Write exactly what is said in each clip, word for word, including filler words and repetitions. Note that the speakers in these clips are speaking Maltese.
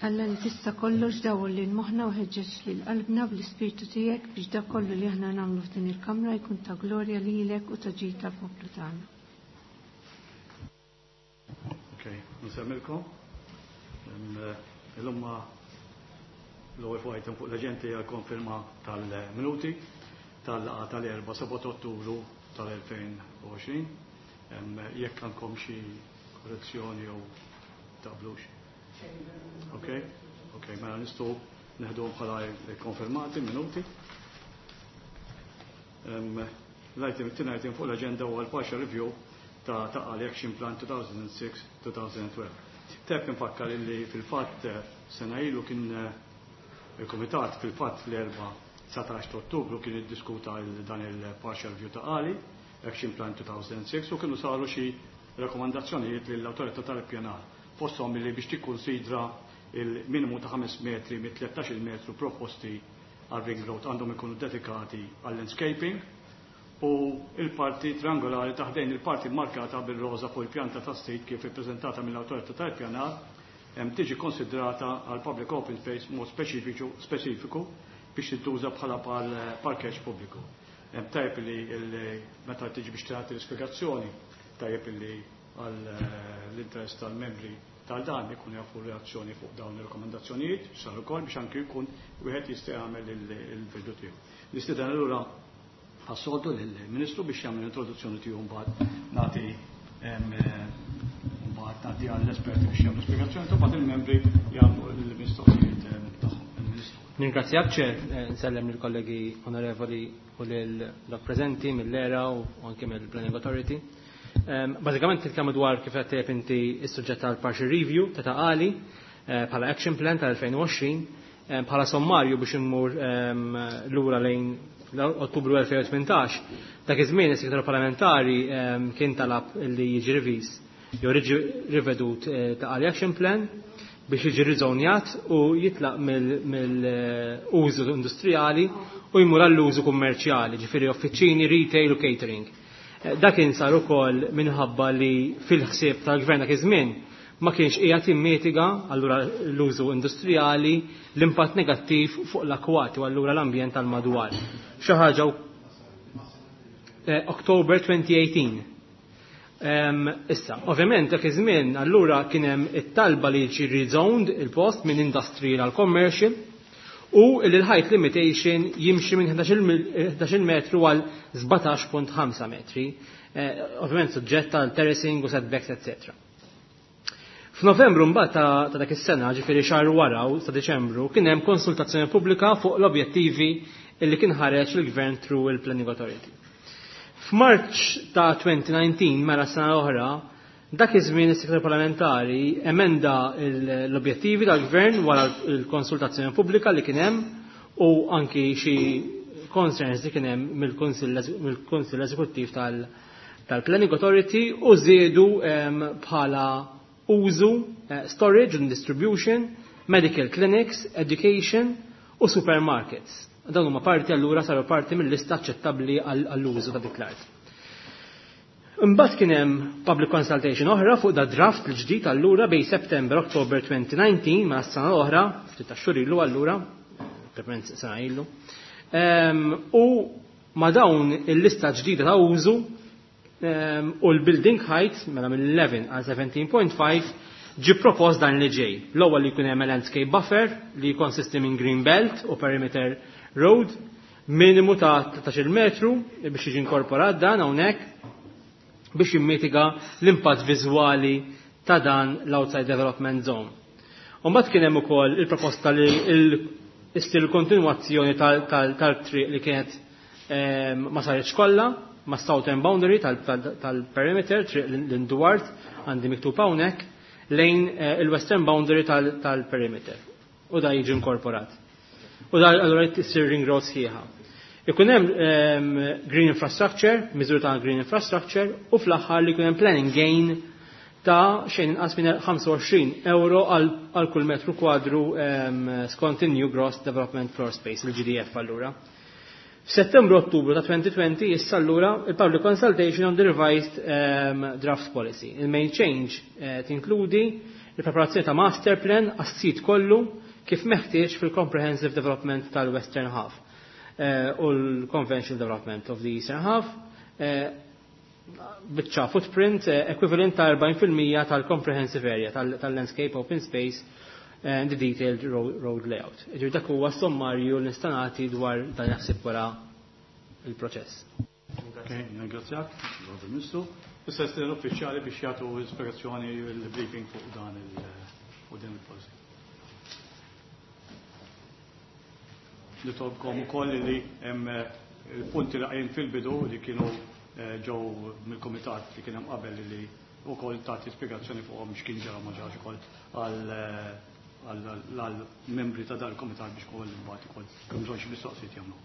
Alla li tista' kollox, dawwal lil moħħna u ħeġġeġ lil qalbna bl-Ispirtu tiegħek biex dak kollu li aħna nagħmlu f'din il-kamra jkun ta' glorja lilek u ta' ġid tal-poplu tagħna. Ok, nsemmilkom. Illum l-ewwel fuq item fuq l-aġenda hija konferma tal-minuti tal-laqgħa tal-erba' seba' Ottubru tal-elfejn u għoxrin. Jekk għandkom xi korrezzjoni jew taqblux. Ok, ok, mela nistgħu neħdu bħala konfermati minuti. L-item it-tieni item fuq l-aġenda huwa l-partial review ta' Ta' Qali Action Plan elfejn u sitta-elfejn u tnax. Tajjeb nfakkar illi fil-fatt sena ilu kien il-Komitat, fil-fatt l-erba' dsatax ta' Ottubru, kien iddiskuta dan il-partial review Ta' Qali Action Plan elfejn u sitta u kienu saru xi rakkomandazzjonijiet lill-Awtorità tal-Ippjanar, fosthom li biex tikkunsidra il-minimu ta' ħames metri mit tlettax-il metru proposti għal ring road għandhom ikunu dedikati għal landscaping u il-parti triangolari ta' ħdejn il-parti markata bil-roza fuq il-pjanta ta' state kif ippreżentata mill-Awtorità tal-Ippjanar hemm tiġi konsidrata għal public open space mod speċifiku speċifiku biex tintuża bħala parkeġġ pubbliku. Hemm tajjeb li meta tiġi biex tagħti l-ispjegazzjoni, tajjeb li għal l-interess tal-membri tal-dan ikun jafu reazzjoni fuq dawn ir-rakkomandazzjonijiet sar ukoll biex anki jkun wieħed jista' jagħmel il-bidu tiegħu. Nistieden allura għas-soltu lill-Ministru biex jagħmel introduzzjoni tiegħu, mbagħad nagħti mbagħad nagħti għall-esperti biex jagħmlu spjegazzjoni u mbagħad il-membri jagħmlu l-mistoqsijiet tagħhom. Il-Ministru. Ningrazzjak, Chair, nsellem lill-kollegi onorevoli u lil dak preżenti mill-E R A u anke mill-Planning Authority. Bażikament titkellmu dwar, kif qed tgħid inti, is-suġġett tal-partial review ta' Ta' Qali bħala action plan tal-elfejn u għoxrin. Bħala sommarju biex immur lura lejn Ottubru elfejn u tmintax, dak iż-żmien is-segretarju parlamentari kien talab li jiġi reviż jew jiġi rivedut Ta' Qali Action Plan biex jiġi rizonjat u jitlaq mill-użu industrijali u jmur għall-użu kummerċjali, ġifieri offiċini, retail u catering. Dak kien sar ukoll minħabba li fil-ħsieb tal-gvern dak iż-żmien ma kienx qiegħed jimmitiga allura l-użu industrijali l-impatt negattiv fuq l-akwati u allura l-ambjent tal-madwar. Xi ħaġa October twenty eighteen. Issa, ovvjament dak iż-żmien allura kien hemm it-talba li jiġi rezoned il-post minn industrial għal commercial u l-height limitation jimxi minn ħdax-il metru għal sbatax punt ħamsa metri. Ovvjament suġġett għal terracing u setbacks, eccetera. F'Novembru mbagħad ta' dak is-sena, ġifieri xahar wara u sa Deċembru, kien hemm konsultazzjoni pubblika fuq l-objettivi illi kien ħareġ il-Gvern through il-Planning Authority. F'March ta' elfejn u dsatax, mela sena oħra, dak iż-żmien is-segretarju parlamentari emenda l-objettivi tal-Gvern wara l-konsultazzjoni pubblika li kien hemm u anki xi concerns li kien hemm mill-Kunsill Eżekuttiv tal-Planning Authority u żiedu bħala użu storage and distribution, medical clinics, education u supermarkets. Dawn huma parti allura saru parti mill-lista aċċettabbli għall-użu ta' dik l-art. Imbagħad kien hemm public consultation oħra fuq da draft l-ġdid allura bejn September October twenty nineteen, ma' sena oħra, ftit ta' xhur ilu allura, proprjament sena ilu. U ma' dawn il-lista ġdida ta' użu u l-building height mela mill-għaxra għal sbatax punt ħamsa ġi propost dan li ġej. L-ewwel li jkun hemm landscape buffer li jkonsisti minn green belt u perimeter road minimu ta' tlettax-il metru biex jiġi inkorporat dan hawnhekk biex jimmitiga l-impatt viżwali ta' dan l-outside development zone. Mbagħad kien hemm ukoll il-proposta li issir il-kontinwazzjoni tal-triq li kienet ma saritx kollha ma' southern boundary tal-perimeter, triq l-Induwart għandi miktub hawnhekk, lejn il-western boundary tal-perimeter. U da jiġi inkorporat. U da allura issir ring road sħiħa. Ikun hemm green infrastructure, miżur ta' green infrastructure, u fl-aħħar li jkun hemm planning gain ta' xejn inqas minn ħamsa u għoxrin euro għal kull metru kwadru skont il-New Gross Development Floor Space, il-G D F allura. F'Settembru Ottubru ta' twenty twenty issa allura il-public consultation on the revised um, draft policy. Il-main change eh, tinkludi il-preparazzjoni ta' master plan għas-sit kollu kif meħtieġ fil-comprehensive development tal-Western Half eh, u l-conventional development of the Eastern Half eh, biċċa footprint eh, equivalent ta' erbgħin fil-mija tal-comprehensive area tal-landscape open space and the detailed road layout. Ġifieri dak huwa sommarju li nista' nagħti dwar dan jaħseb wara il-proċess. Ok, ringrazzjak, Ministru. Issa l-uffiċjali biex jagħtu ispjegazzjoni, il-briefing fuq dan il fuq din il-policy. Nitolbkom ukoll li hemm il-punti li qajjim fil-bidu li kienu eh, ġew mill-kumitat li kien hemm qabel li wkoll tagħti spjegazzjoni fuqhom, x'kien ġara, ma ġarax ukoll għal għal-membri ta' dal-komitat biex kol imbagħad ukoll kemm bżonn xi mistoqsijiet jagħmlu.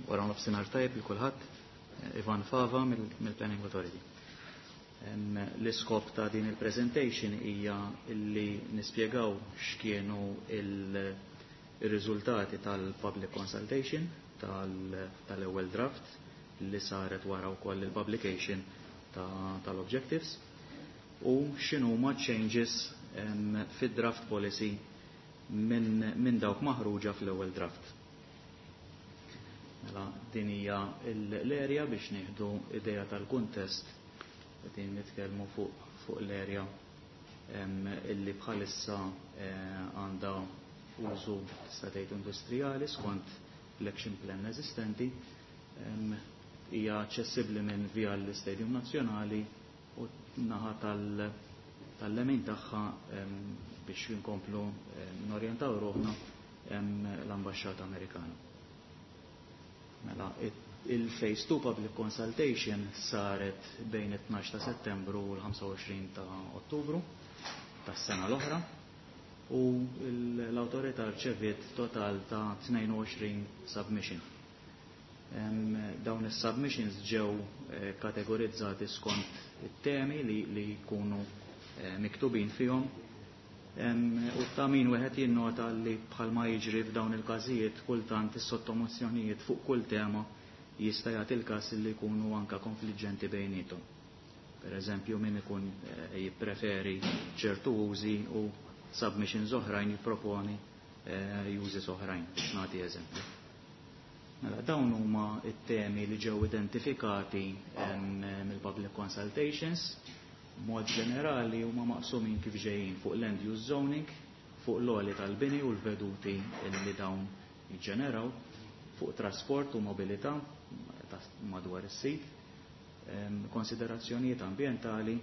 Wara nofsinhar tajjeb lil kulħadd, Ivan Fava mill-Planning Authority. L-iskop ta' din il-presentation hija li nispjegaw x'kienu il-riżultati tal-public consultation tal-ewwel draft li saret wara wkoll il-publication tal-objectives u x'inhuma changes fid-draft policy minn min dawk maħruġa fl-ewwel draft. Mela din hija l-area biex nieħdu idea tal-kuntest. Qegħdin nitkellmu fuq fuq l-area illi bħalissa eh, għandha użu, tista' tgħid, industrijali skont l-action plan eżistenti, hija aċċessibbli minn via l-Istadium Nazzjonali u naħa tal-lemin tagħha, biex inkomplu norjentaw ruħna, l-Ambaxxata Amerikana. Mela, il-Phase two Public Consultation saret bejn it-tnax ta' Settembru u l-ħamsa u għoxrin ta' Ottubru tas-sena l-oħra u l-autorità rċeviet total ta' tnejn u għoxrin submission. Dawn is-submissions ġew eh, kategorizzati skont it-temi li, li jkunu eh, miktubin fihom u ta' min wieħed jinnota li bħalma jiġri f'dawn il-każijiet kultant is-sottomissjonijiet fuq kull tema jista' jagħti il-każ li jkunu anka konfliġġenti bejniethom. Per eżempju, min ikun eh, jippreferi ċertu użi u submissions oħrajn jipproponi użi oħrajn, biex nagħti eżempju. Mela, dawn huma it-temi li ġew identifikati mill-public consultations. Mod ġenerali huma maqsumin kif ġejjin: fuq land use zoning, fuq l-għoli tal-bini u l-veduti li dawn jiġġeneraw, fuq trasport u mobilità madwar is-sit, konsiderazzjonijiet ambientali,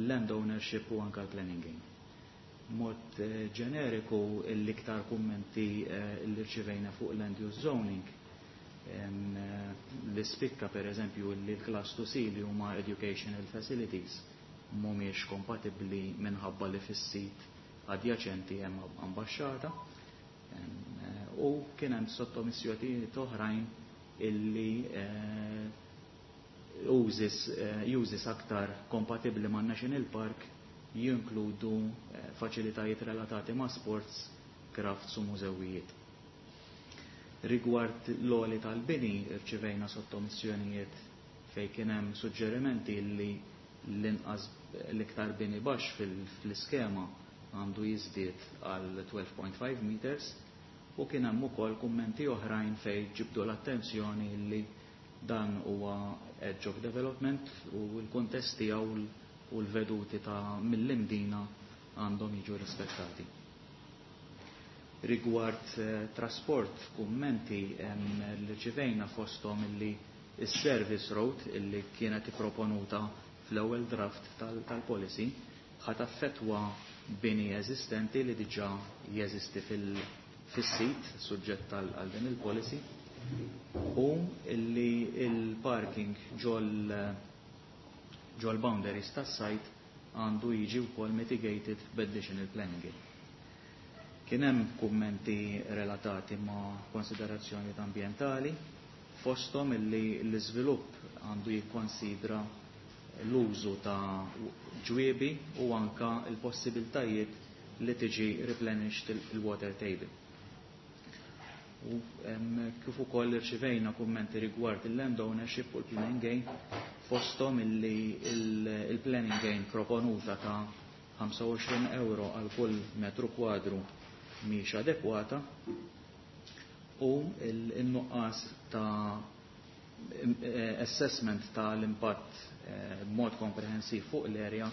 land ownership u anka l-planning. Mod eh, ġeneriku, l-iktar kummenti eh, li rċivejna fuq land use zoning li spikka, per eżempju, li l-class two C li huma educational facilities mhumiex kompatibbli minħabba li fis-sit adjaċenti hemm ambaxxata u kien hemm sottomissjonijiet oħrajn illi eh, użis eh, użis aktar kompatibbli ma' National Park jinkludu eh, faċilitajiet relatati ma' sports, crafts u mużewijiet. Rigward l-għoli tal-bini, rċivejna sottomissjonijiet fej kien hemm suġġerimenti li l-inqas l-iktar bini baxx fil-iskema għandu jiżdied għal tnax punt ħamsa meters u kien hemm ukoll kummenti oħrajn fej ġibdu l-attenzjoni li dan huwa edge of development u l-kuntest tiegħu u l-veduti ta' mill-Imdina għandhom jiġu rispettati. Rigward eh, trasport, kummenti li rċivejna fosthom illi is-service road illi kienet proponuta fl-ewwel draft tal-policy ħa taffettwa bini eżistenti li diġà jeżisti fil-sit suġġett għal din il-policy u illi il-parking ġol ġol boundaries tas-site għandu jiġi wkoll mitigated b'additional planning. Kien hemm kummenti relatati ma' konsiderazzjonijiet ambientali, fosthom illi l-iżvilupp għandu jikkonsidra l-użu ta' ġwiebi u anka l-possibiltajiet li tiġi replenished il-water table. U kif ukoll irċivejna kummenti rigward il-land ownership u l-planning gain, fosthom illi il-planning gain proponuta ta' ħamsa u għoxrin euro għal kull metru kwadru mhix adekwata u il-nuqqas ta' assessment ta' l-impatt eh, b'mod komprehensiv fuq l-area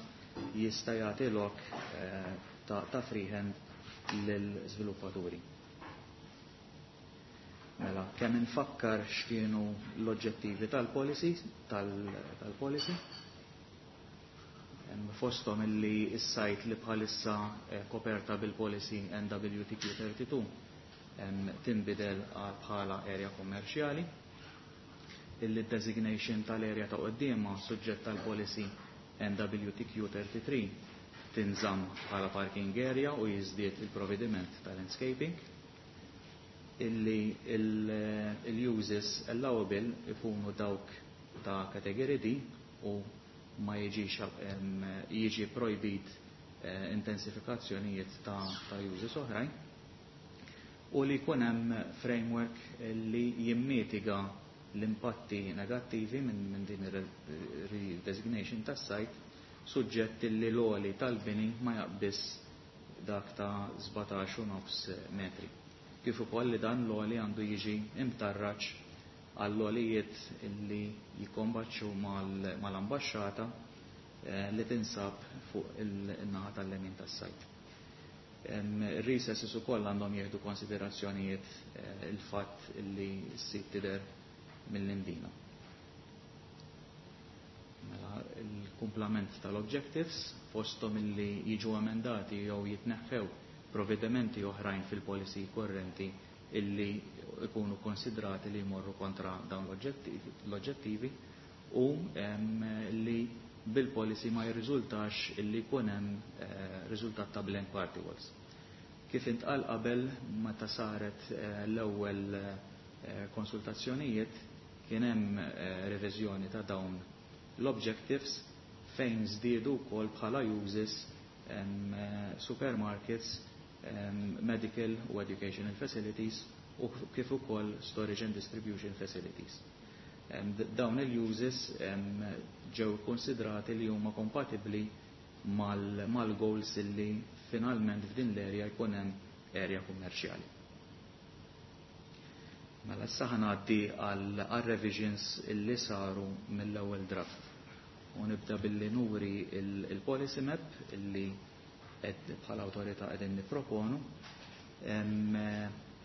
jista' jagħti lok eh, ta', ta freehand lill-żviluppaturi. Mela, kemm infakkar x'kienu l-oġġettivi tal-policy, tal-policy. Fosthom illi s-site li bħalissa eh, koperta bil-policy N W T Q tlieta u tletin tinbidel għal bħala area kommerċjali, illi designation tal-area ta' qoddiema suġġett tal-policy N W T Q tlieta u tletin tinżamm bħala parking area u jiżdied il-provvediment tal-landscaping, illi il-uses allowable ikunu dawk ta' category D u ma jiġix jiġi projbit eh, intensifikazzjonijiet ta', ta uses oħrajn u li jkun hemm framework li jimmitiga l-impatti negattivi minn min din ir-redesignation tas-site, suġġett li l-għoli tal-bini ma jaqbis dak ta' sbatax u nofs metri. Kif ukoll li dan l-għoli għandu jiġi imtarraċ għall-għolijiet li jikombaċċu mal-ambaxxata eh, li tinsab fuq il-naħa tal-lemin tas-site. Recesses ukoll għandhom jieħdu konsiderazzjonijiet eh, il-fatt li s-sit tidher mill-Imdina. Mela, il-kumplament tal-objectives, fosthom illi jiġu emendati jew jitneħħew provvedimenti oħrajn fil-policy korrenti illi ikunu konsidrati li jmorru kontra dawn l-oġġettivi u li bil-policy ma jirriżultax illi jkun hemm eh, riżultat ta' blank party walls. Kif intqal qabel, meta saret eh, l-ewwel eh, konsultazzjonijiet kien hemm reviżjoni ta' dawn l-objectives fejn żdiedu wkoll bħala uses supermarkets, medical u educational facilities u kif ukoll storage and distribution facilities. Dawn il-uses ġew konsidrati li huma kompatibbli mal-goals illi finalment f'din l-area jkun hemm area kummerċjali. Mela, issa ngħaddi għal revisions illi saru mill-ewwel draft. U nibda billi nuri il-policy map illi bħala awtorità qegħdin nipproponu.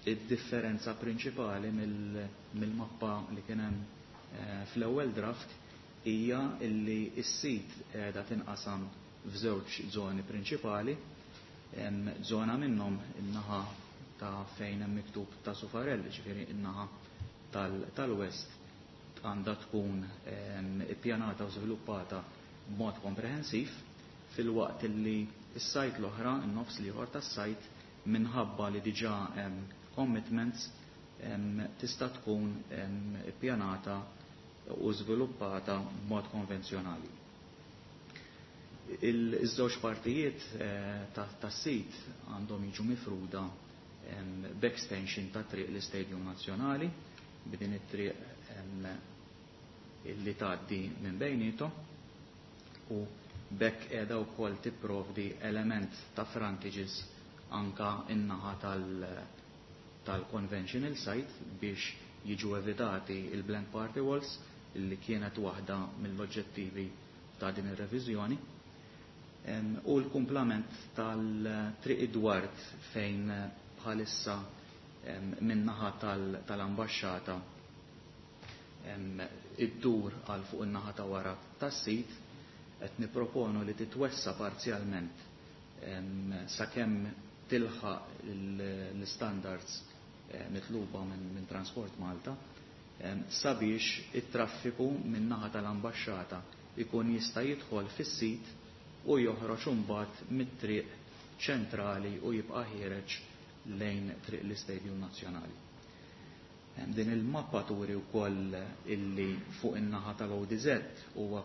Id-differenza prinċipali mill-mappa li kien hemm eh, fl-ewwel draft hija illi s-sit qiegħda tinqasam f'żewġ żoni prinċipali. Żona minnhom, in-naħa ta' fejn hemm miktub ta' Sufarelli, ġifieri in-naħa tal-west, għandha tkun ippjanata u żviluppata b'mod komprehensiv, filwaqt illi is-site l-oħra, in-nofs l-ieħor tas-site, minħabba li diġà hemm commitments, tista' tkun ippjanata u żviluppata b'mod konvenzjonali. Iż-żewġ partijiet eh, tas-sit għandhom jiġu mifruda b'extension ta' triq l-Istadium Nazzjonali, b'din it-triq illi tgħaddi minn bejnietom, u b'hekk qiegħda wkoll tipprovdi element ta' frontages anka in-naħa tal-conventional site biex jiġu evitati il-blank party walls, illi kienet waħda mill-oġġettivi ta' din ir-reviżjoni. U l-kumplament tal-Triq Edward, fejn bħalissa min-naħa tal-ambaxxata iddur għal fuq in-naħa ta' wara tas-sit, qed niproponu li titwessa parzjalment sakemm tilħaq l-standards eh, mitluba minn Transport Malta, sabiex it-traffiku min-naħa tal-ambaxxata ikun jista' jidħol fis-sit u joħroġ imbagħad mit-triq ċentrali u jibqa' ħiereġ lejn triq l-Istadium Nazzjonali. Din il-mappa turi wkoll illi fuq in-naħa tal-O D Z huwa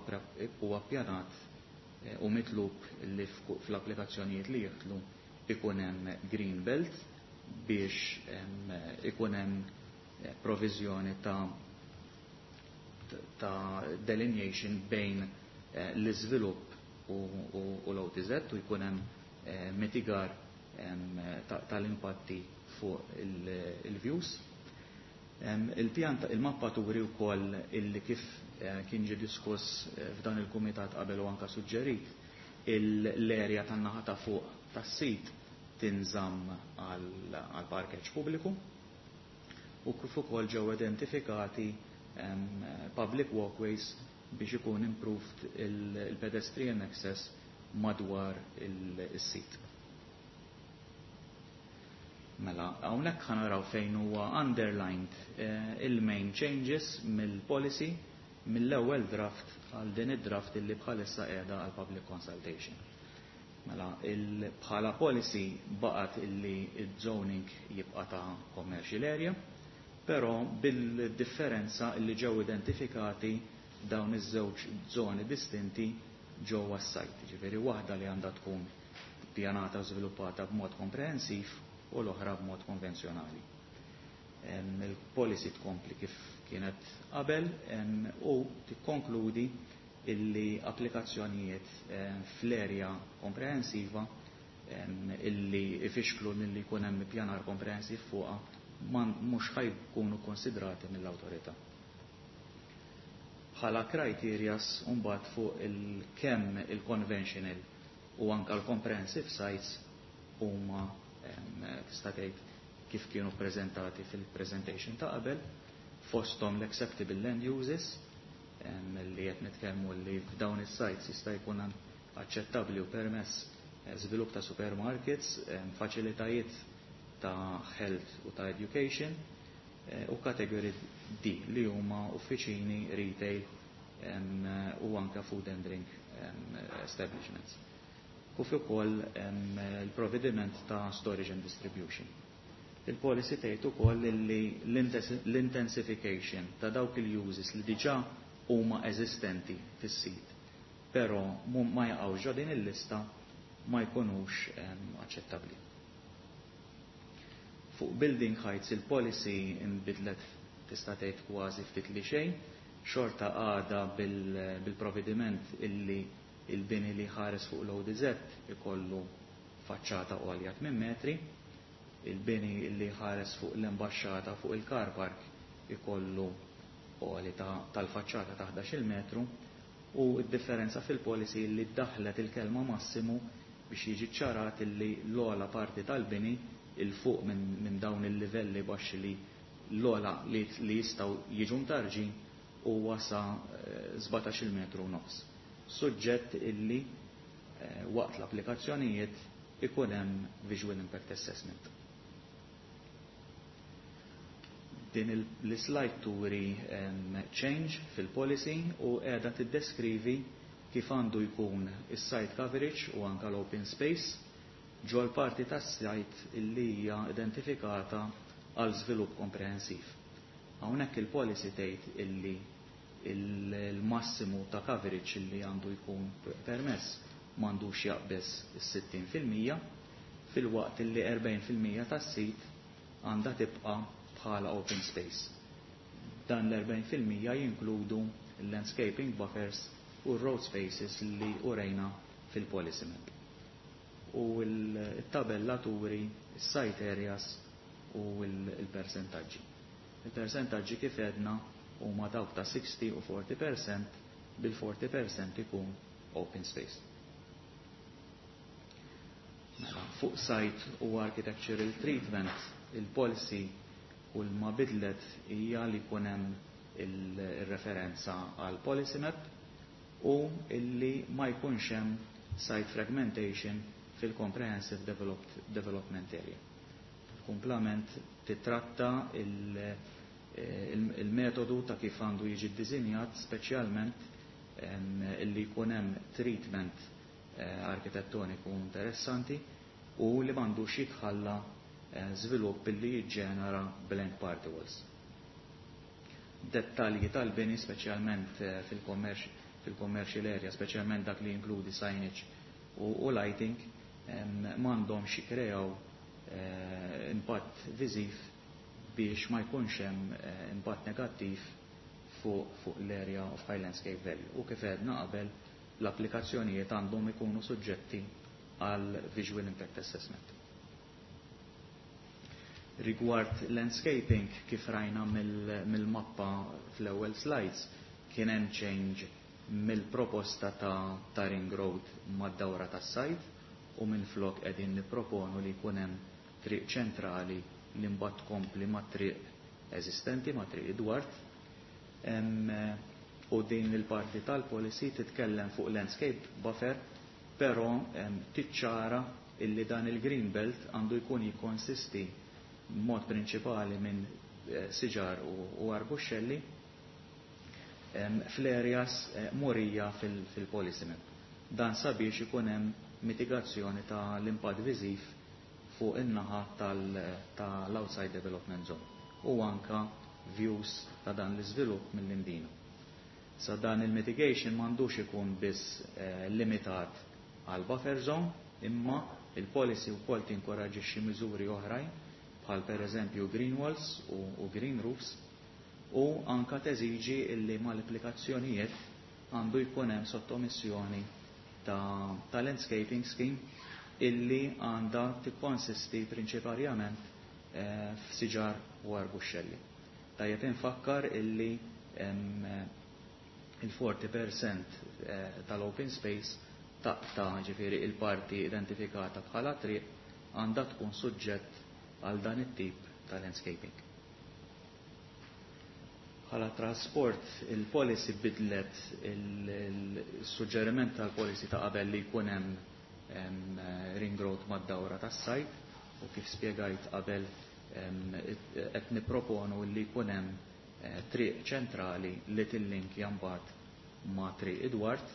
ppjanat eh, u mitlub li fl-applikazzjonijiet li jidħlu ikun hemm green belt biex ikun hemm eh, provviżjoni ta' ta' delineation bejn eh, l-iżvilupp u, u, u l-O T Z u jkun hemm eh, mitigar tal-impatti fuq il-views. Il-pjan, il-mappa turi wkoll illi kif kien ġi diskuss f'dan il-kumitat qabel u anka suġġerit, l-erja tan-naħa ta' fuq tas-sit tinżamm għal parkeġġ pubbliku u kif ukoll ġew identifikati public walkways biex ikun improved il-pedestrian access madwar il-sit. Mela, hawnhekk ħa naraw fejn huwa underlined eh, il-main changes mill-policy mill-ewwel draft għal din id-draft illi bħalissa qiegħda għal public consultation. Mela, bħala policy baqgħet illi il-zoning jibqa' ta' commercial area, però bil-differenza illi ġew identifikati dawn iż-żewġ zoni distinti ġewwa s-sajt. Ġifieri waħda li għandha tkun pjanata u żviluppata b'mod komprehensiv u l-oħra b'mod konvenzjonali. Il-policy tkompli kif kienet qabel u tikkonkludi illi applikazzjonijiet fl-erja komprehensiva illi ifixklu milli jkun hemm pjanar komprehensiv fuqha mhux ħa jkunu konsidrati mill-awtorità. Bħala criterias mbagħad fuq il-kemm il-conventional u anka l-comprehensive sites huma, tista' tgħid, kif kienu prezentati fil-presentation ta' qabel, fosthom l-acceptable land uses, li qed nitkellmu li f'dawn is-sites jista' jkun aċċettabbli u permess eh, żvilupp ta' supermarkets, faċilitajiet ta' health u ta' education eh, u category D li huma uffiċini, retail u anka food and drink establishments. Kif ukoll il-provvediment ta' storage and distribution. Il-policy tgħid ukoll li l-intensification ta' dawk il-uses li diġà huma eżistenti fis-sit, però ma jaqgħux ġo din il-lista, ma jkunux aċċettabbli. Fuq building heights il-policy imbidlet, tista' tgħid, kważi ftit li xejn, xorta għada bil-provvediment illi il-bini li ħares fuq l-O D Z ikollu faċċata għolja tmien metri, il-bini li ħares fuq l-imbaxxata fuq il-car park ikollu għoli tal-faċċata ta' ħdax-il metru u d-differenza fil-policy li ddaħlet il-kelma massimu biex jiġi ċarat li l-ogħla parti tal-bini 'il fuq minn min dawn il-livelli baxxi li l-ogħla li, li jistgħu jiġu mtarġin huwa sa sbatax-il metru u nofs. Suġġett illi eh, waqt l-applikazzjonijiet ikun hemm visual impact assessment. Din l-slide turi change fil-policy u qiegħda tiddeskrivi kif għandu jkun is-site coverage u anka l-open space ġol parti tas-site illi hija identifikata għal żvilupp komprehensiv. Hawnhekk il-policy tgħid illi il-massimu ta' coverage illi għandu jkun permess m'għandux jaqbeż is-sittin fil-mija, filwaqt illi erbgħin fil-mija tas-sit għandha tibqa' bħala open space. Dan l-erbgħin fil-mija jinkludu l-landscaping buffers u road spaces li urejna fil-policy map. U l-tabella turi site areas u l-percentaġġi. Il-percentaġġi, kif edna, huma dawk ta' sixty u forty percent, bil-forty percent ikun open space. Mela, fuq site u architectural treatment, il-policy u l-ma bidlet hija li jkun hemm il-referenza għal policy map u illi ma jkunx hemm site fragmentation fil-comprehensive development area. Kumplament titratta il-metodu ta' kif għandu jiġi ddisinjat, speċjalment illi jkun hemm treatment eh, arkitettoniku interessanti u li m'għandux jitħalla eh, żvilupp illi jiġġenera blank party walls. Dettalji tal-bini, speċjalment eh, fil-commercial area, speċjalment dak li jinkludi signage u, u lighting, m'għandhomx jikkreaw eh, impatt viżiv biex ma jkunx hemm eh, impatt negattiv fuq fu l-area of high landscape value. U kif għedna qabel, l-applikazzjonijiet għandhom ikunu suġġetti għal visual impact assessment. Rigward landscaping, kif rajna mill-mappa fl-ewwel slides, kien hemm change mill-proposta ta', ta ring road mad-dawra tas-sajt u minn flok qegħdin nipproponu li jkun hemm triq ċentrali li mbagħad tkompli ma' triq eżistenti, ma' triq Edward. U din il-parti tal-policy titkellem fuq landscape buffer, però tiċċara illi dan il-green belt għandu jkun jikkonsisti mod prinċipali minn eh, siġar u arbuxxelli fl-areas eh, murija fil-policy map. Dan sabiex ikun hemm mitigazzjoni ta' l-impatt viżiv fuq in-naħa tal-outside development zone u anka views ta' dan l-iżvilupp mill-Imdina. Sa dan il-mitigation m'għandux ikun biss eh, limitat għal buffer zone, imma il-policy wkoll tinkoraġixxi miżuri oħrajn bħal per eżempju green walls u, u green roofs u anka teżiġi illi mal-applikazzjonijiet għandu jkun hemm sottomissjoni ta', ta landscaping scheme illi għandha tikkonsisti prinċipalment eh, f'siġar u arbuxxelli. Tajjeb infakkar illi il-forty percent eh, tal-open space taqta, ġifieri il-parti identifikata bħala triq, għandha tkun suġġett għal dan it-tip ta' landscaping. Bħala trasport, il-policy bidlet il-suġġeriment tal-policy ta' qabel li jkun hemm ring road mad-dawra tas-sajt u kif spjegajt qabel qed nipproponu li jkun hemm eh, triq ċentrali li tillinkja mbagħad ma' triq Edward,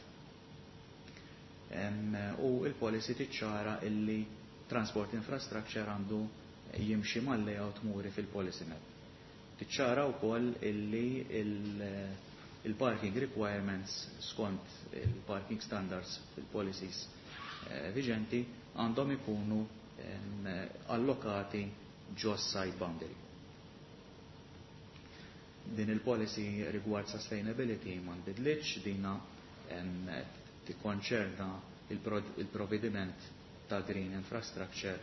u il-policy tiċċara illi transport infrastructure għandu jimxi mal-layout muri fil-policy map. Tiċċara wkoll illi il-parking requirements skont il-parking standards fil-policies eh, viġenti għandhom ikunu allokati ġo site boundary. Din il-policy rigward sustainability ma nbidlitx, dina tikkonċerna il-provvediment ta' green infrastructure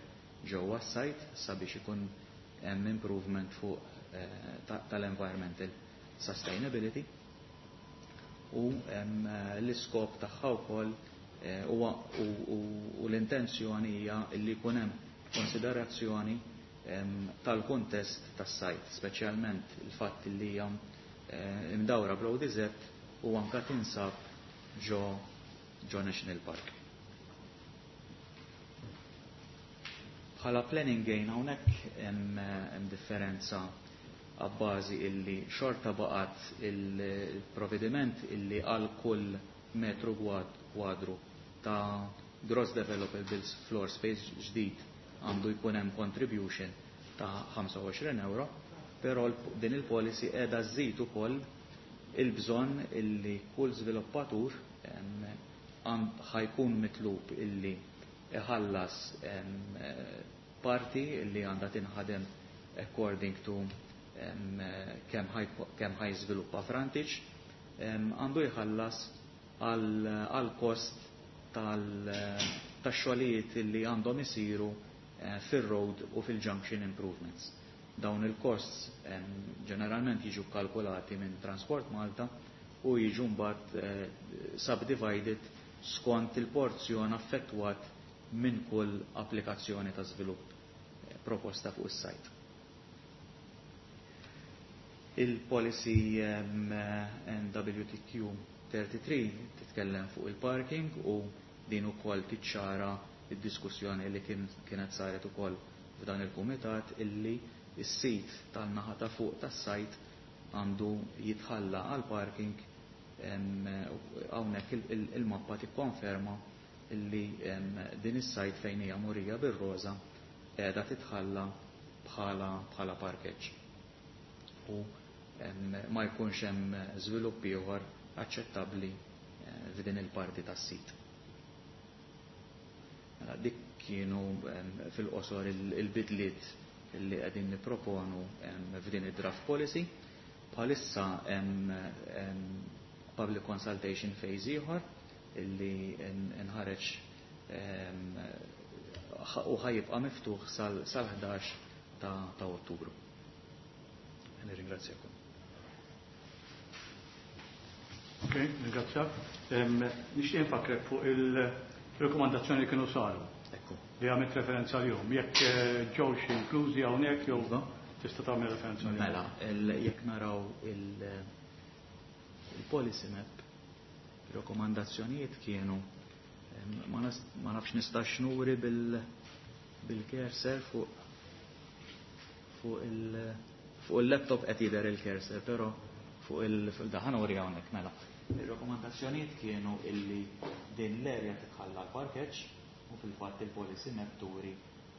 ġewwa s-site sabiex ikun hemm improvement fuq eh, tal-environmental sustainability u l-iskop tagħha wkoll eh, u l-intenzjoni hija li jkun hemm konsiderazzjoni tal-kuntest tas-sajt, speċjalment il-fatt li hija eh, imdawra bl-O D Z u anka tinsab ġo ġo National Park. Bħala planning gain, hawnhekk hemm differenza għabbażi illi xorta baqat il-provvediment illi għal kull metru kwadru ta' gross developable floor space ġdid għandu jkun hemm contribution ta' ħamsa u għoxrin euro, però din il-policy qiegħda żżid ukoll il-bżonn illi kull żviluppatur ħa jkun mitlub illi iħallas parti illi għandha tinħadem according to kemm ħa jiżviluppa frontage, għandu jħallas għal kost tal-xogħlijiet illi għandhom isiru eh, fil-road u fil-junction improvements. Dawn il-costs ġeneralment jiġu kalkulati minn Transport Malta u jiġu mbagħad eh, subdivided skont il-porzjon affettwat minn kull applikazzjoni ta' żvilupp eh, proposta fuq is-sajt. Il-policy N W T Q thirty-three titkellem fuq il-parking u din ukoll tiċċara id-diskussjoni li kienet saret ukoll f'dan il-kumitat illi is-sit tal-naħa ta' fuq tas-sajt għandu jitħalla għal parking. Hawnhekk il-mappa tikkonferma illi din is-sajt fejn hija murija bir-roża qiegħda titħalla bħala bħala parkeġġ. U ma jkunx hemm żvilupp ieħor aċċettabbli eh, f'din il-parti tas-sit. Mela, dik kienu fil-qosor il-bidliet li qegħdin nipproponu f'din id-draft policy. Bħalissa hemm public consultation phase ieħor illi nħareġ u ħa jibqa' miftuħ sal-ħdax ta' Ottubru. Nirringrazzjakom. Ok, ringrazzjak. Nixtieq nfakkrek fuq il-rekomandazzjoni li kienu saru. Ekku. Li għamilt referenza għalihom. Jekk ġewx inklużi hawnhekk jew tista' tagħmel referenza għalihom. Mela, jekk naraw il-policy map, rekomandazzjonijiet kienu ma nafx nistax nuri bil-cursor fuq fuq il-laptop qed jidher il-cursor, però fuq il-daħan uri hawnhekk mela. Ir-rakkomandazzjonijiet kienu illi din l-area titħalla l-parkeġġ u fil-fatt il-policy map turi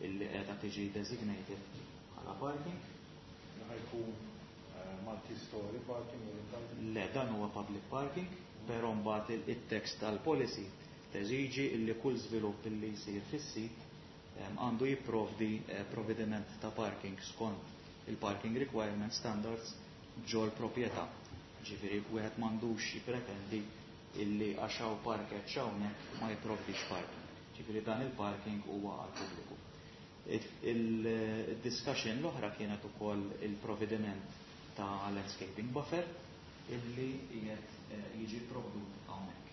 illi qiegħda tiġi designated bħala parking. Ħa jkun multi-story parking? Le, dan huwa public parking, però mbagħad it-text tal-policy teżiġi illi kull żvilupp illi jsir fis-sit għandu jipprovdi provvediment ta' parking skont il-parking requirement standards ġol proprjetà. Ġifieri wieħed m'għandux jippretendi illi għax hawn parkeġġ hawnhekk ma jipprovdix parking. Ġifieri dan il-parking huwa għal pubbliku. Il-discussion l-oħra kienet ukoll il-provvediment ta' landscaping buffer illi qiegħed jiġi provdut hawnhekk.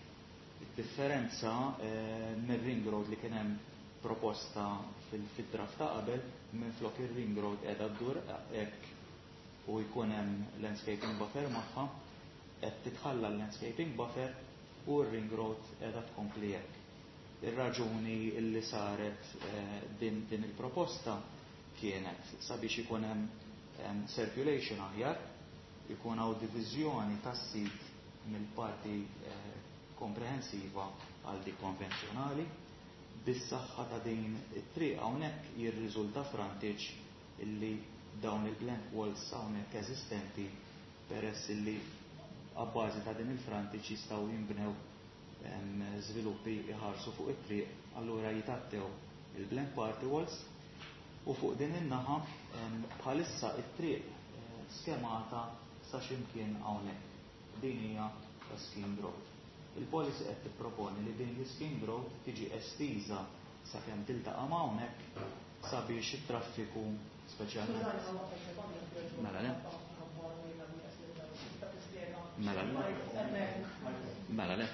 Id-differenza mir-ring road li kien hemm proposta fil-draft ta' qabel, minflok ir-ring road qiegħda ddur hekk u jkun hemm landscaping buffer magħha, qed titħalla l-landscaping buffer u r-ring road qiegħda tkompli hekk. Ir-raġuni li saret din, din il-proposta kienet sabiex ikun hemm circulation aħjar, ikun hawn diviżjoni tas-sit mill-parti komprensiva għal dik konvenzjonali. Bis-saħħa ta' din it-triq hawnhekk jirriżulta frontage illi dawn il-blank walls hawnhekk eżistenti peress illi abbażi ta' din il-frontage jistgħu jinbnew żviluppi jħarsu fuq it-triq, allura jitattew il-blank party walls u fuq din in-naħa bħalissa it-triq skemata sa x'imkien hawnhekk. Din hija schemed road. Il-policy qed tipproponi li din l-schemed road tiġi estiża sakemm tiltaqa' ma' hawnhekk sabiex it-traffiku speċjalment. Mela le. Mela le. Mela le.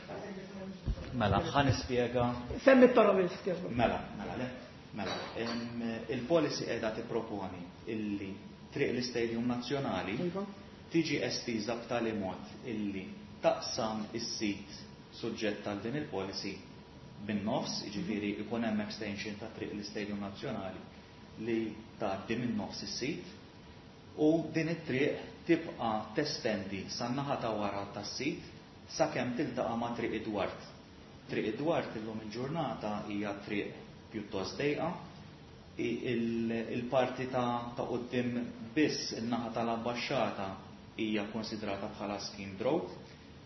Mela, ħa nispjega. Semmi t-toroq biss. Mela, mela le. Mela, il-policy qiegħda tipproponi illi triq l-Istadium Nazzjonali tiġi estiża b'tali mod illi taqsam is-sit suġġett għal din il-policy bin-nofs, jiġifieri ikun hemm extension ta' triq l-Istadium Nazzjonali li tgħaddi minn nofs is-sit u din it-triq tibqa' testendi san-naħa ta' wara tas-sit sakemm tiltaqa' ma' Triq Idward. Triq Idward illum il-ġurnata hija triq pjuttost dejqa, il-parti ta' quddiem biss in-naħa tal-ambaxxata hija konsidrata bħala schemed road.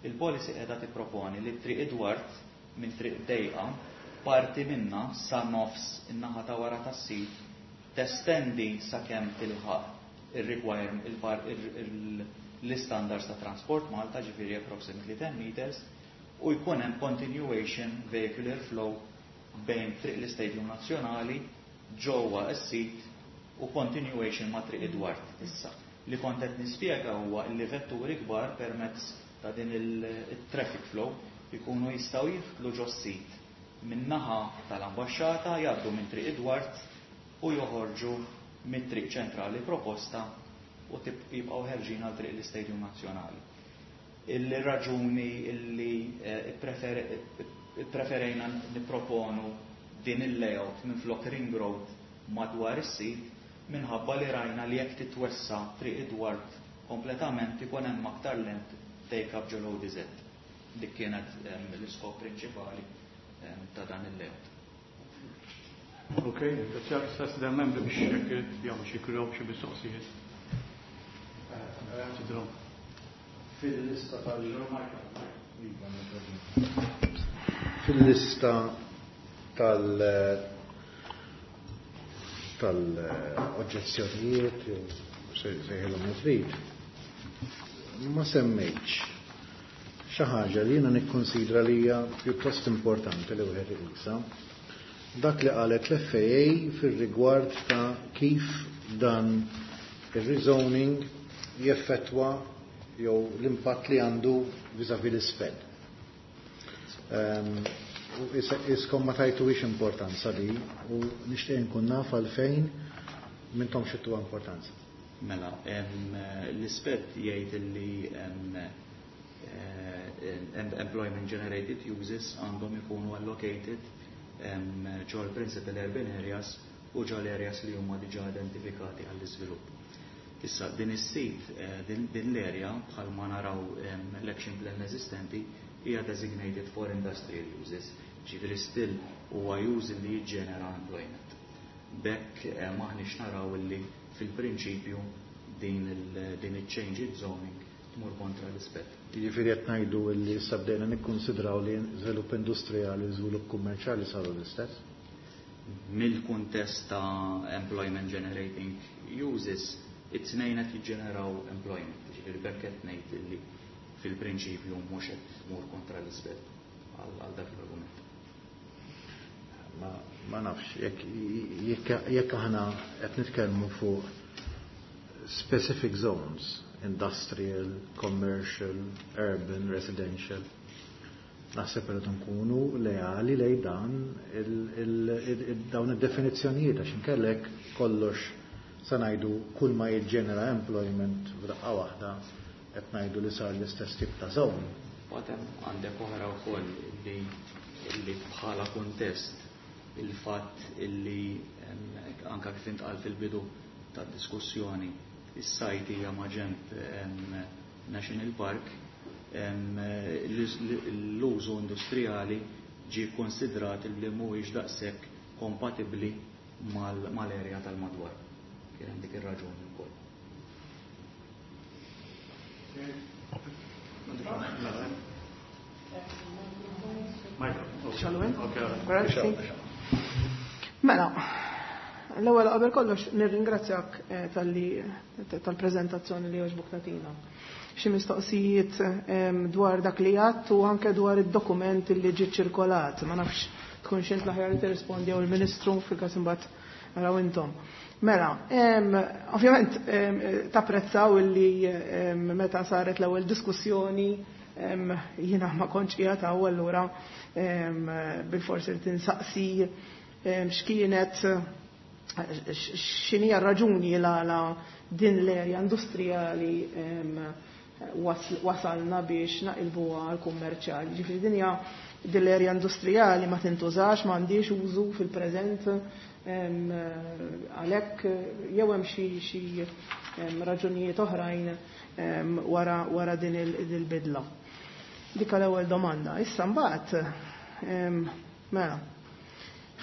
Il-policy qiegħda tipproponi li Triq Idward minn triq dejqa parti minna sa nofs in-naħa ta' wara tas-sit testendi sakemm tilħaq l-standards ta' Transport Malta, ġifieri approximately ten meters, u jkun hemm continuation vehicular flow bejn triq l-Istadium Nazzjonali ġewwa s-sit u continuation ma' Triq Idward issa. Li kont qed nispjega huwa li vetturi kbar permezz ta' din il-traffic flow ikunu jistgħu jidħlu ġo s-sit min-naħa tal-ambaxxata, jgħaddu minn Triq Idward u joħorġu mit-triq ċentrali proposta u jibqgħu ħerġin għal triq l-Istadium Nazzjonali. Il-raġuni illi preferejna nipproponu din il-layout minn flok ring road madwar is-sit minħabba li rajna li jekk titwessa Triq Idward kompletament ikun hemm aktar land take up ġol O D Z. Dik kienet l-iskop prinċipali ta' dan il-layout. Ok, grazie. Stess membri biex jekk jagħmlu xi kurjaw xi mistoqsijiet. Fil-lista tal- Fil-lista tal tal-oġġezzjonijiet jew sejħilhom trid, ma semmejtx xi ħaġa li jiena nikkonsidra li hija pjuttost importanti li wieħed iqisha. Dak li qalet l-F A A fir-rigward ta' kif dan ir-rezoning jeffettwa jew l-impatt li għandu vis-à-vis l-SPED. Um, Iskom ma tajtuhiex importanza li u nixtieq nkun naf għalfejn m'intomx tagħtuha importanza. Mela, l-SPED jgħid li eh, employment generated uses għandhom ikunu allocated ġol principal urban areas u ġol areas li huma diġà identifikati għall-iżvilupp. Issa, din is-sit, eh, din l-area, bħalma naraw l-action plan eżistenti, hija designated for industrial uses, ġifieri still huwa use li jiġġenera employment. B'hekk eh, maħniex naraw li fil-prinċipju din il-change zoning tmur kontra l-SPED. Jiġifieri qed ngħidu li issa bdejna nikkonsidraw li żvilupp industrijali u żvilupp kummerċjali saru l-istess? Mill-kuntest ta' employment generating uses, it-tnejn qed jiġġeneraw employment, ġifieri b'hekk qed ngħid li fil-prinċipju mhux qed tmur kontra l-SPED għal dak l-argument. Ma, ma nafx, jekk aħna qed nitkellmu fuq specific zones, industrial, commercial, urban, residential, naħseb li nkunu leali lej dan dawn id-definizzjonijiet, għax inkellek kollox sa ngħidu kull ma jiġġenera employment f'daqqa waħda qed ngħidu li sar l-istess tip ta' zone. Għadem għandek oħra wkoll li li bħala kuntest il-fatt illi anka kif intqal fil-bidu tad-diskussjoni, is-site hija maġenb National Park, l-użu industrijali ġi konsidrat li mhuwiex daqshekk kompatibbli mal-area tal-madwar. Kien hemm dik ir-raġuni wkoll. Michael. Grazzi. Mela, l-ewwel qabel kollox nirringrazzjak eh, talli tal-preżentazzjoni li għoġbok tagħtina. Xi mistoqsijiet dwar dak li għadt u anke dwar id-dokument li ġie ċirkolat. Ma nafx tkun xint l-aħjar li tirrispondi jew il-Ministru, fil-każ imbagħad naraw intom. Mela, ovvjament tapprezzaw illi meta saret l-ewwel diskussjoni jiena ma kontx qiegħed hawn, allura bil-forsi li tinsaqsi x'kienet, x'inhi raġuni la din l-erja industrijali wasalna biex naqilbuha għal kummerċjali. Ġifieri dinja din l-erja industrijali ma tintużax, ma għandix użu fil-preżent, għalhekk jew hemm xi raġunijiet oħrajn wara wara din il-bidla. Dik l-ewwel domanda. Issa mbagħad, mela,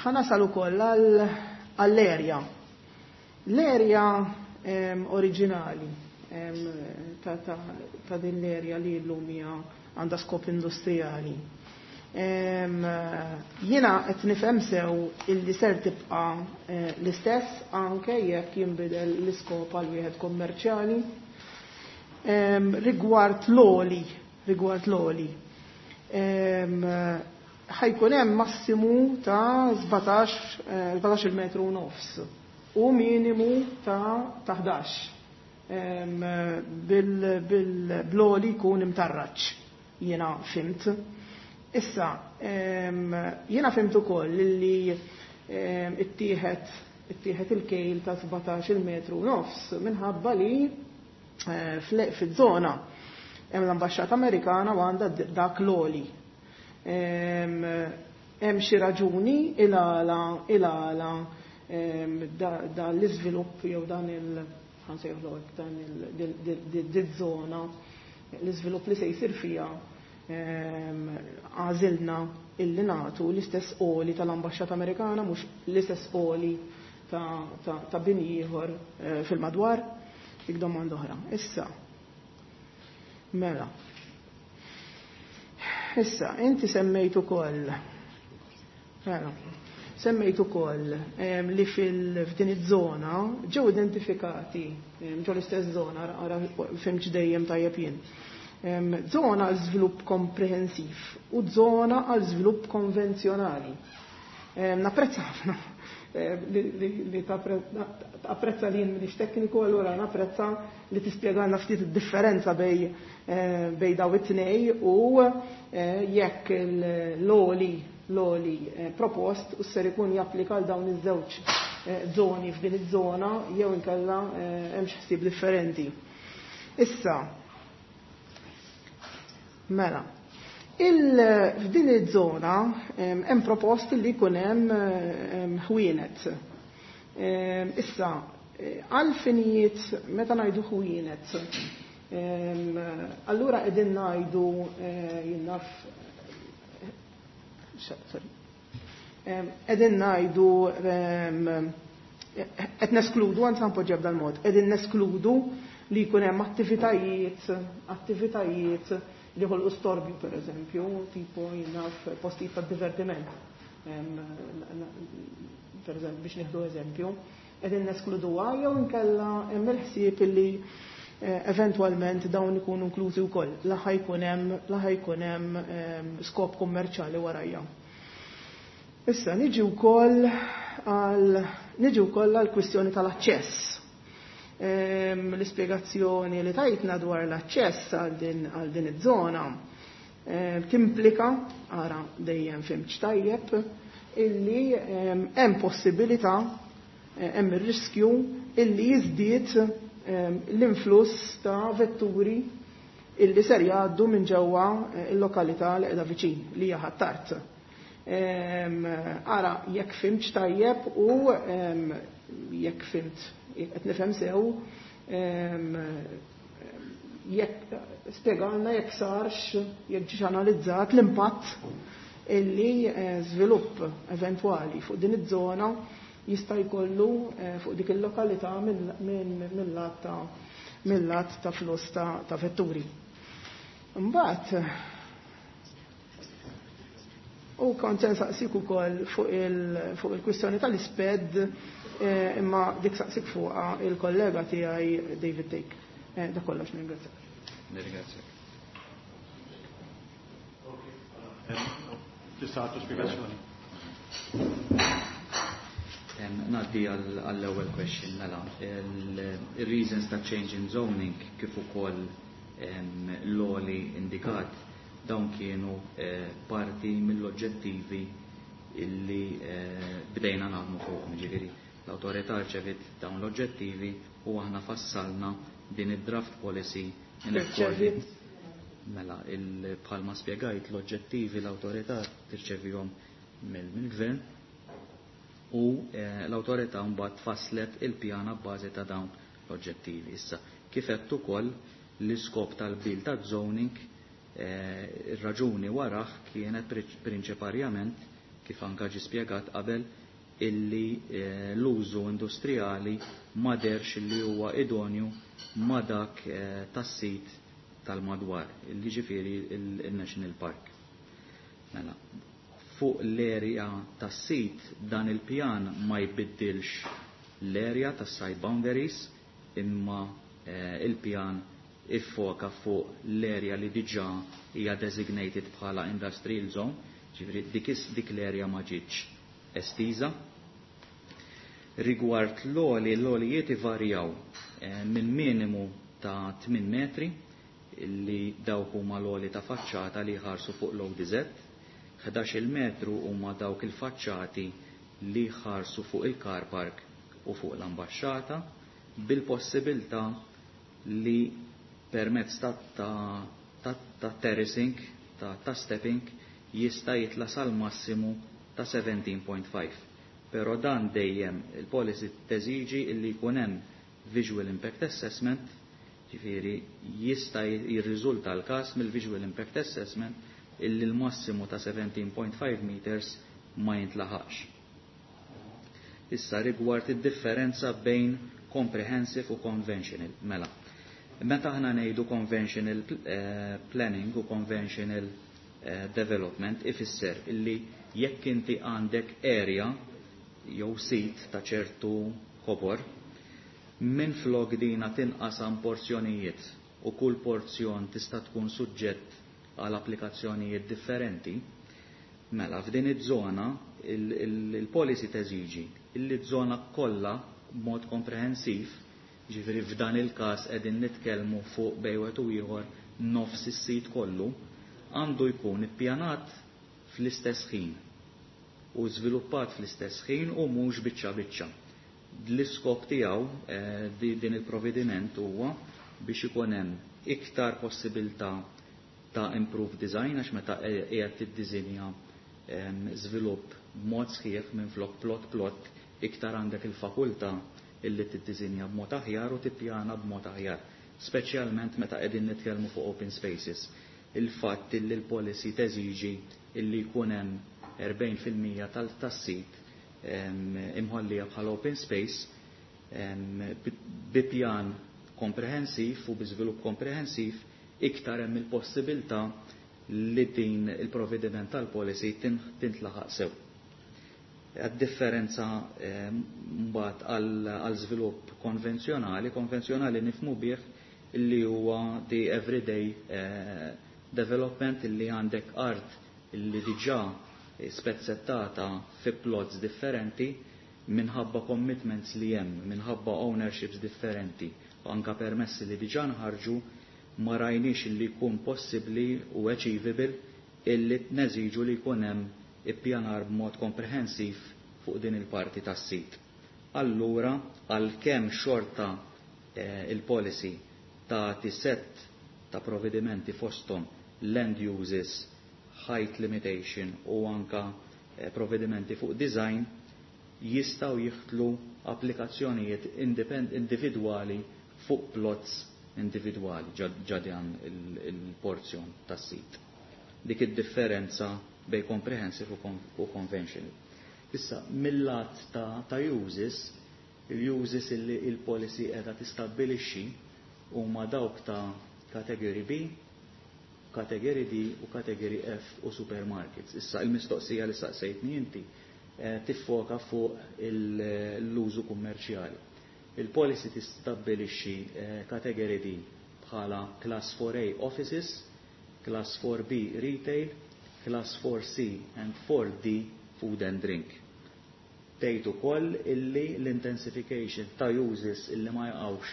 ħa nasal ukoll għall-erja. L-erja oriġinali ta' din l-erja li llum hija għandha skop industrijali. Jiena qed nifhem sew illi ser tibqa' eh, l-istess anke jekk jinbidel l-iskop għal wieħed kommerċjali. Rigward l-għoli, rigward l-għoli, ħa jkun hemm massimu ta' sbatax metru u nofs u minimu ta' ħdax bil-għoli jkun imtarraċ, jiena fhimt. Issa, jiena fhimt ukoll li ittieħed ittieħed il-kejl ta' sbatax metru u nofs minħabba li eh, fiż-żona hemm l-Ambaxxata Amerikana u għandha dak l-għoli. Hemm xi raġuni il-għala il-għala da l-iżvilupp jew dan il ħa nsejħlu dan il-żona, l-iżvilupp li se jsir fiha, għażilna illi nagħtu l-istess għoli tal-Ambaxxata Amerikana, mhux l-istess għoli ta' bini ieħor eh, fil-madwar? Dik domanda oħra. Issa, mela. Issa, inti semmejt ukoll. Mela. Semmejt ukoll li fil-f'din iż-żona ġew identifikati ġew l-istess żona, ara fimx dejjem tajjeb jien. Żona għal żvilupp komprehensiv u żona għal żvilupp konvenzjonali. Napprezza ħafna li tapprezza li jien m'iniex tekniku, allura napprezza li tispjegalna ftit id-differenza bej bej daw it-tnej u jekk l-għoli l-għoli propost u ser ikun japplika għal dawn iż-żewġ żoni f'din iż-żona jew inkella hemm xi ħsieb differenti. Issa, mela, f'din iż-żona hemm propost li jkun hemm ħwienet. Issa, għal finijiet meta ngħidu ħwienet, allura qegħdin ngħidu jien naf, sorry, qegħdin ngħidu qed neskludu, anzi npoġġi b'dal mod, qegħdin neskludu li jkun hemm attivitajiet attivitajiet li ħolqu storbju, per eżempju, tipo jien naf postijiet ta' divertiment. Per eżempju, biex nieħdu eżempju, qegħdin neskluduha jew inkella hemm il-ħsieb li eventwalment dawn ikunu inklużi wkoll, la ħajkun hemm la ħajkun hemm skop kummerċjali warajja. Issa niġi wkoll għal niġi wkoll għal kwistjoni tal-aċċess. L-ispjegazzjoni li tajtna dwar l-aċċess għal din għal din iż-żona timplika, ara dejjem fimx tajjeb, illi hemm possibilità, hemm ir-riskju illi jiżdied l-influss ta' vetturi illi ser jgħaddu minn ġewwa il-lokalità li qiegħda viċin li hija Ħ'Attard. Ara jekk fimx tajjeb u jekk fimt qed nifhem sew, jekk spjegalna jekk sarx, jekk ġiex analizzat l-impatt illi żvilupp eventwali fuq din iż-żona jista' jkollu fuq dik il-lokalità mill-lat ta' mill-lat ta' flus ta' vetturi. Imbagħad u kont se nsaqsik ukoll fuq il-kwistjoni tal-isped, imma dik saqsik fuqha il-kollega tiegħi David Take. Dak kollox, nirringrazzjak. Nirringrazzjak. Tista' tagħtu spjegazzjoni. Ngħaddi għall-ewwel question, mela. Il-reasons ta' change in zoning kif ukoll l-għoli indikat, dawn kienu parti mill-oġġettivi illi bdejna naħdmu fuqhom. Ġifieri l-awtorità rċevit dawn l-oġġettivi u aħna fassalna din id-draft policy in accordance. Mela, bħalma spjegajt, l-oġġettivi l-awtorità tirċevihom mill-gvern u l-awtorità mbagħad faslet il-pjana b'bażi ta' dawn l-oġġettivi. Issa, kif għedt ukoll, l-iskop tal-bil ta' zoning, ir-raġuni warah kienet prinċiparjament, kif anka ġi spjegat qabel, illi l-użu industrijali ma derx li huwa idonju ma dak tas-sit tal-madwar, illi ġifieri il-National Park. Mela, fuq l-area tas-sit dan il-pjan ma jbiddilx l-area tas-site boundaries, imma il-pjan iffoka fuq l-area li diġà hija designated bħala industrial zone, ġifieri dik, dik l-area ma ġietx estiża. Rigward l-għoli, l-għolijiet ivarjaw minn minimu ta' tmien metri, li dawk huma l-għoli ta' faċċata li jħarsu fuq l-O D Z, ħdax-il metru huma dawk il-faċċati li jħarsu fuq il-car park u fuq l-ambaxxata, bil-possibilità li permezz ta', ta, ta, ta' terracing, ta', ta' stepping, jista' jitla' sal-massimu ta' seventeen point five. Però dan dejjem il-policy teżiġi illi jkun hemm visual impact assessment, ġifieri jista' jirriżulta l-każ mill-visual impact assessment illi l-massimu ta' seventeen point five meters ma jintlaħaqx. Issa rigward id-differenza bejn comprehensive u conventional, mela. Meta aħna ngħidu conventional, eh, planning u conventional, eh, development ifisser illi jekk inti għandek area jew sit ta' ċertu kobor, minn flok dina tinqasam porzjonijiet u kull porzjon tista' tkun suġġett għal applikazzjonijiet differenti, mela f'din iż-żona il-policy teżiġi illi żona kollha b'mod komprehensiv, ġifieri f'dan il-każ qegħdin nitkellmu fuq bejn wieħed u ieħor nofs is-sit kollu, għandu jkun ippjanat fl-istess ħin u żviluppat fl-istess ħin u mhux biċċa biċċa. L-iskop tiegħu eh, din il-provvediment huwa biex ikun hemm iktar possibilità ta' improved design għax meta qiegħed tiddisinja żvilupp b'mod sħiħ minn flok plot plot iktar għandek il-fakultà illi tiddisinja b'mod aħjar u tippjana b'mod aħjar, speċjalment meta qegħdin nitkellmu fuq open spaces. Il-fatt illi l-policy teżiġi illi jkun hemm erbgħin fil-mija tas-sit imħollija bħala open space bi pjan komprehensiv u bi żvilupp komprehensiv iktar hemm il-possibilità li din il-provvediment tal-policy tintlaħaq sew. Għad-differenza mbagħad għal żvilupp konvenzjonali, konvenzjonali nifhmu bih illi huwa the everyday development illi għandek art illi diġà spezzettata fi plots differenti minħabba commitments li hemm, minħabba ownerships differenti, anka permessi li diġà nħarġu ma rajniex illi jkun possibbli u achievable illi neżiġu li jkun hemm ippjanar b'mod komprehensiv fuq din il-parti tas-sit. Allura, għalkemm xorta eh, il-policy tagħti set ta' provvedimenti fosthom land uses, height limitation u anka eh, provvedimenti fuq design, jistgħu jieħdlu applikazzjonijiet individwali fuq plots individwali ġadjan il-porzjon tas-sit. Dik id-differenza bej comprehensive u conventional. Issa, mill-lat ta', ta' uses, il-uses illi il-policy qiegħda tistabbilixxi huma dawk ta' category B, category D u category F u supermarkets. Issa, il-mistoqsija li saqsejtni inti eh, tiffoka fuq l-użu kummerċjali. Il-policy tistabbilixxi eh, category D bħala class four A offices, class four B retail, class four C and four D food and drink. Tgħid ukoll illi l-intensification ta' uses illi ma jaqgħux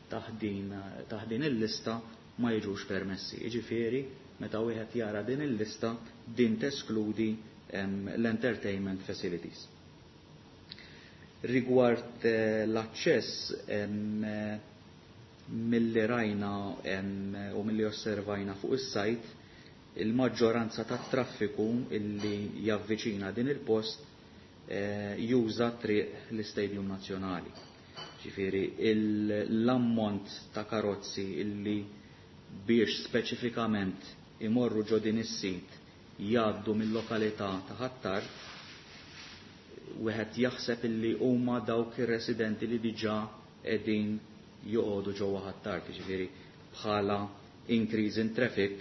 taħt din il-lista ma jiġux permessi. Jiġifieri meta wieħed jara din il-lista din teskludi l-entertainment facilities. Rigward eh, l-aċċess milli rajna u milli osservajna fuq is-sajt, il-maġġoranza tat-traffiku illi javviċina din il-post eh, juża triq l-Istadium Nazzjonali. Ġifieri l-ammont ta' karozzi illi biex speċifikament imorru ġo din is-sit jgħaddu mill-lokalità ta' Ħ'Attard, wieħed jaħseb illi huma dawk ir-residenti li diġà qegħdin joqogħdu ġewwa Ħ'Attard, jiġifieri bħala increase in traffic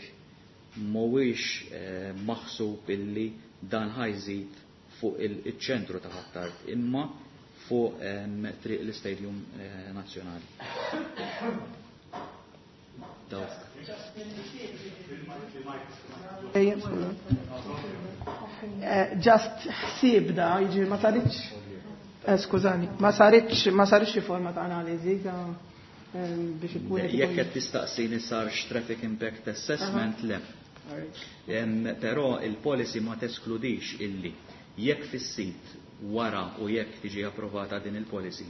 mhuwiex eh, maħsub illi dan ħajżid fuq il-ċentru ta' Ħ'Attard, imma fuq ehm, triq l-Istadium eh, Nazzjonali. Dawk. Just ħsieb da, jiġifieri ma saritx, eh, skużani, ma saritx, ma saritx xi forma ta' analiżi ta' biex ikun Jekk qed tistaqsini sarx traffic impact assessment, le. Però il-policy ma teskludix illi jekk fis-sit wara u jekk tiġi approvata din il-policy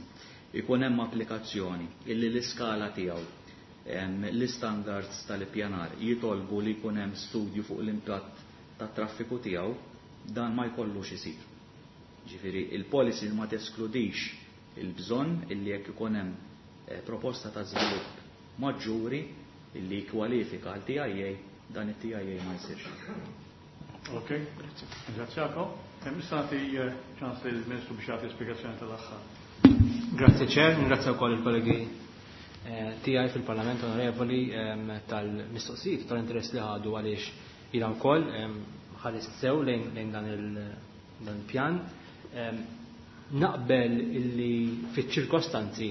ikun hemm applikazzjoni illi l-iskala tiegħu l-istandards tal-ippjanar jitolbu li jkun hemm studju fuq l-impatt tat-traffiku tiegħu, dan ma jkollux isir. Ġifieri il-policy ma teskludix il-bżonn illi jekk ikun hemm eh, proposta ta' żvilupp maġġuri illi jikkwalifika għal T I A, dan it-T I A ma jsirx. Ok, ringrazzjakom. Hemm issa nagħti, eh, ċans lill-Ministru biex jagħti spjegazzjoni tal-aħħar. Grazzi Chair, ringrazzja wkoll il-kollegi, eh, tiegħi fil-Parlament Onorevoli, ehm, tal-mistoqsijiet tal-interess li ħadu għaliex Jiena wkoll ħarist sew lejn dan il-pjan. Naqbel illi fiċ-ċirkostanzi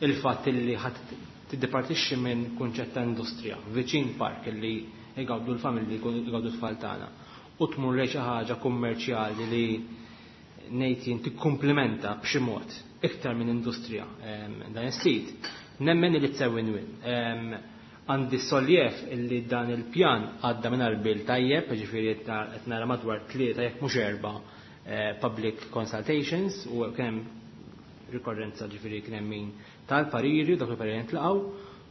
il-fatt illi ħadd tiddepartixxi minn kunċett ta' industrija viċin park illi jgawdu l-familji jgawdu t-tfal tagħna u tmur lejn xi ħaġa kummerċjali li ngħid jien tikkumplimenta b'xi mod iktar minn industrija dan is-sit, nemmen li it's a win-win. Għandi soljev illi dan il-pjan għadda minn bil tajjeb, ġifieri qed nara madwar tlieta jekk mhux erba' public consultations u kien hemm rikorrenza ġifieri kien hemm min tal-pariri u dak il-pariri ntlaqgħu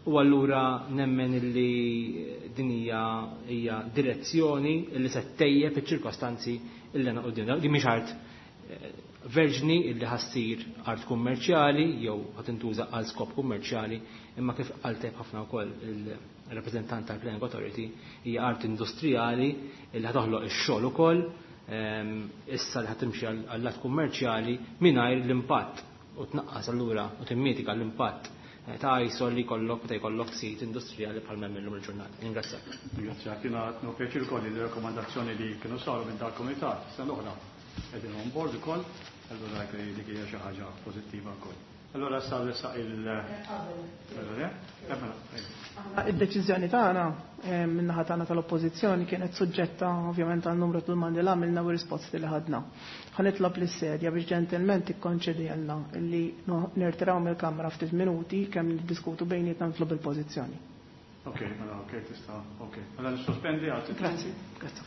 u allura nemmen illi din hija hija direzzjoni illi se ttejjeb iċ-ċirkostanzi illi għandna qudiemna. Din mhix art verġni illi ħassir art kummerċjali jew ħad intuża għal skop kummerċjali, imma kif qal tajjeb ħafna wkoll il-rappreżentant tal-Planning Authority hija art industrijali illi ħatoħloq ix-xogħol ukoll, issa li ħatimxi għall-lat kummerċjali mingħajr l-impatt u tnaqqas allura u timmitika l-impatt ta' ISO li jkollok meta jkollok sit industrijali bħal m'hemm illum il-ġurnata. Ringrazzjak. Ringrazzjak. Jiena qed nieħu pjaċir ukoll li l-rakkomandazzjoni li kienu saru minn dal-kumitat sena l-oħra qegħdin on board ukoll, allura dik dik hija xi ħaġa pożittiva wkoll. Allora issa nressaq il- Id-deċiżjoni tagħna min-naħa tagħna tal-Oppożizzjoni kienet suġġetta ovvjament għal numru ta' domandi li għamilna u risposti li ħadna. Ħa nitlob lis-sedja biex ġentilment tikkonċedilna li nirtiraw mill-Kamra ftit minuti kemm niddiskutu bejnietna nitlob il-pożizzjoni. Ok, mela ok, tista' ok. Mela nissospendi għal ftit. Grazzi, grazzi.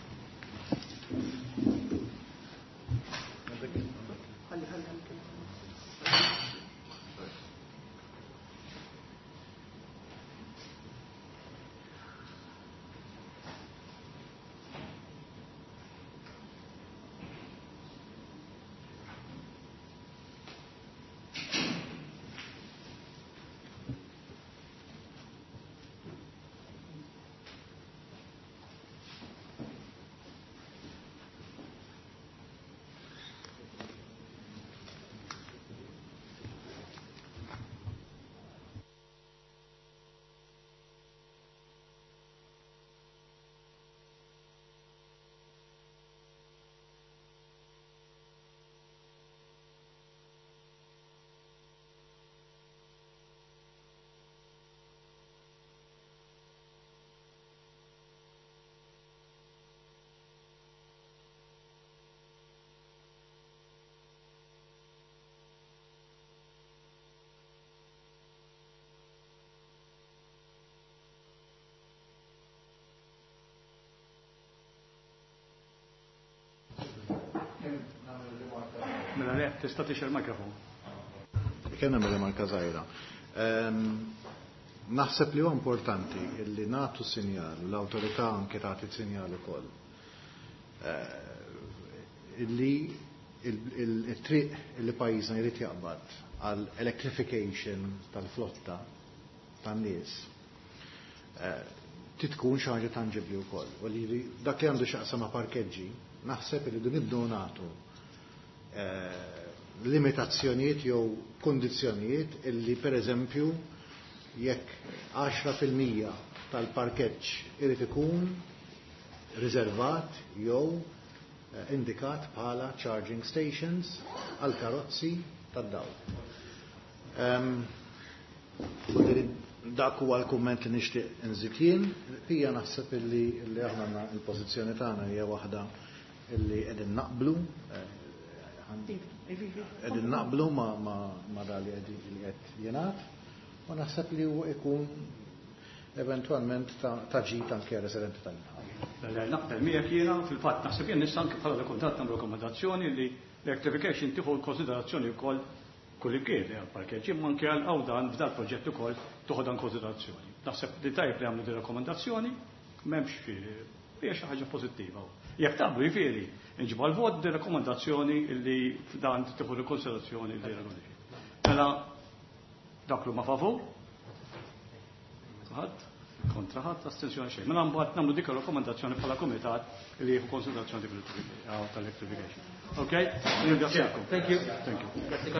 Mela le, tista' tixgħel mikrofon. Kien hemm rimarka żgħira. Naħseb li huwa importanti li nagħtu sinjal, l-awtorità anke tagħti sinjal ukoll. Illi il-triq li pajjiżna jrid jaqbad għal electrification tal-flotta tan-nies titkun xi ħaġa tanġibbli wkoll. U li dak li għandu x'aqsam ma' parkeġġi, naħseb li nibdew nagħtu limitazzjonijiet jew kondizzjonijiet illi per eżempju jekk għaxra fil-mija tal-parkeġġ irid ikun riservat jew indikat bħala charging stations għal karozzi tad-dawl. Dak huwa l-kumment li nixtieq inżid jien. Hija naħseb illi li aħna għandna l-pożizzjoni tagħna hija waħda illi qegħdin naqblu, qegħdin naqblu ma, ma, ma da li qed jingħad, u naħseb li huwa ikun eventwalment ta' ġid anke residenti tal-inħawi. Naqbel miegħek jiena fil-fatt naħseb jien nista' anke bħala kuntatt nagħmlu rakkomandazzjoni li l-electrification tieħu konsiderazzjoni wkoll kull imkien, għal parkeġġ, imma anke għal għawdan f'dal proġett ukoll toħodha konsiderazzjoni. Naħseb li tajjeb li għamlu din rakkomandazzjoni, m'hemmx hija xi ħaġa pożittiva. Jekk taqblu jifieri, nġibu għal-vot din rakkomandazzjoni li f'dan tieħu konsiderazzjoni li rakkomandazzjoni. Mela dak li huma favur? Ħadd? Kontra ħadd, astensjoni xejn. Mela mbagħad nagħmlu dik ir-rakkomandazzjoni bħala kumitat li jieħu konsiderazzjoni tal-electrification. Ok? Ringrazzjakom. Thank you. Thank you. Grazie.